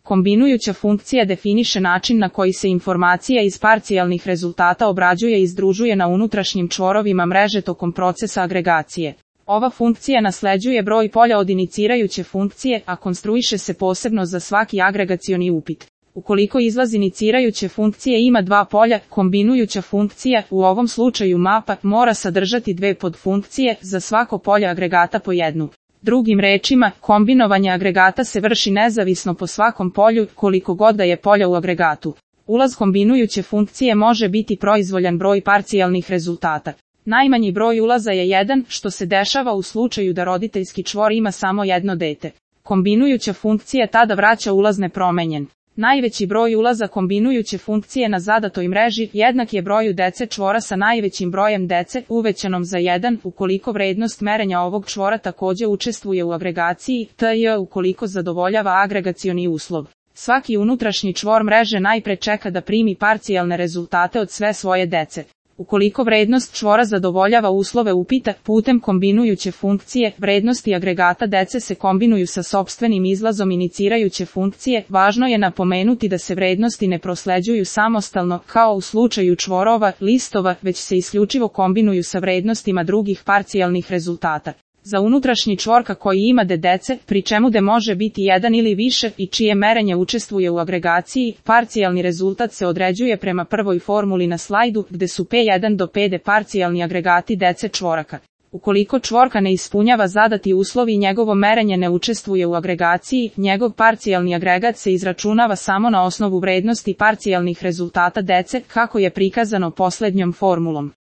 Kombinujuća funkcija definiše način na koji se informacija iz parcijalnih rezultata obrađuje i združuje na unutrašnjim čvorovima mreže tokom procesa agregacije. Ova funkcija nasleđuje broj polja od inicirajuće funkcije, a konstruiše se posebno za svaki agregacioni upit. Ukoliko izlaz inicirajuće funkcije ima dva polja, kombinujuća funkcija, u ovom slučaju mapa, mora sadržati dve podfunkcije, za svako polje agregata po jednu. Drugim rečima, kombinovanje agregata se vrši nezavisno po svakom polju, koliko god da je polja u agregatu. Ulaz kombinujuće funkcije može biti proizvoljan broj parcijalnih rezultata. Najmanji broj ulaza je 1, što se dešava u slučaju da roditeljski čvor ima samo jedno dete. Kombinujuća funkcija tada vraća ulaz nepromenjen. Najveći broj ulaza kombinujuće funkcije na zadatoj mreži jednak je broju dece čvora sa najvećim brojem dece, uvećanom za 1, ukoliko vrednost merenja ovog čvora takođe učestvuje u agregaciji, tj. ukoliko zadovoljava agregacioni uslov. Svaki unutrašnji čvor mreže najpre čeka da primi parcijalne rezultate od sve svoje dece. Ukoliko vrednost čvora zadovoljava uslove upita, putem kombinujuće funkcije, vrednosti agregata dece se kombinuju sa sopstvenim izlazom inicirajuće funkcije. Važno je napomenuti da se vrednosti ne prosleđuju samostalno, kao u slučaju čvorova, listova, već se isključivo kombinuju sa vrednostima drugih parcijalnih rezultata. Za unutrašnji čvor koji ima dece, pri čemu d može biti jedan ili više i čije merenje učestvuje u agregaciji, parcijalni rezultat se određuje prema prvoj formuli na slajdu, gde su P1 do Pd parcijalni agregati dece čvoraka. Ukoliko čvorka ne ispunjava zadati uslov i njegovo merenje ne učestvuje u agregaciji, njegov parcijalni agregat se izračunava samo na osnovu vrednosti parcijalnih rezultata dece, kako je prikazano poslednjom formulom.